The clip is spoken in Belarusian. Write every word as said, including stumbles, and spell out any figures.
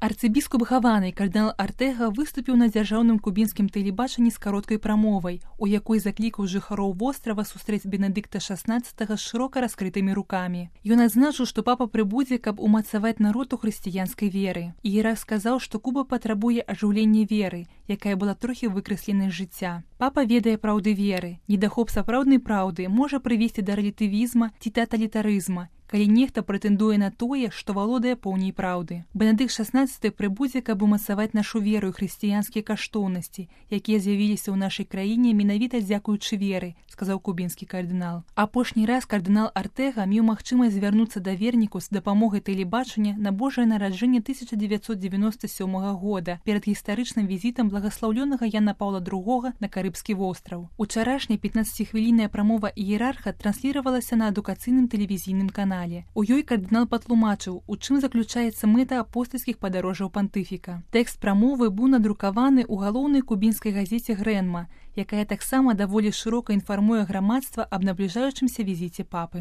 Арцыбіскуп Гаваны кардынал Артэга выступіў на дзяржаўным кубінскім тэлебачанні з кароткай прамовай, у якой заклікаў жыхароў вострава сустрэць Бенедыкта шаснаццатага з шырока раскрытымі рукамі. Ён адзначыў, што папа прыбудзе, каб умацаваць народ у хрысціянскай веры. Іерарх сказаў, што Куба патрабуе ажыўлення веры, якая была трохі выкрэсленай з жыцця. Папа ведае праўды веры. Недахоп сапраўднай праўды можа прывесці да рэлятывізма ці таталітарызма, калі нехта прэтэндуе на тое, што валодае поўней праўды. Бенедыкт шаснаццаты прыбудзе, каб умацаваць нашу веру і хрысціянскія каштоўнасці, якія з'явіліся ў нашай краіне менавіта дзякуючы веры, сказаў кубінскі кардынал. Апошні раз кардынал Артэга меў магчымасць звярнуцца да вернікаў з дапамогай тэлебачання на Божае нараджэнне тысяча дзевяцьсот дзевяноста сёмага года перад гістарычным візітам благаслаўлёнага Яна Паўла другога на Карыбскі востраў. Учарашняя пятнаццаціхвілінная прамова іерарха трансліравалася на адукацыйным тэлевізійным канале. У ёй кардынал патлумачыў, у чым заключаецца мэта апостальскіх падарожжаў пантыфіка. Тэкст прамовы быў надрукаваны ў галоўнай кубінскай газеце «Грэнма», якая таксама даволі шырока інфармуе грамадства аб набліжаючымся візіце папы.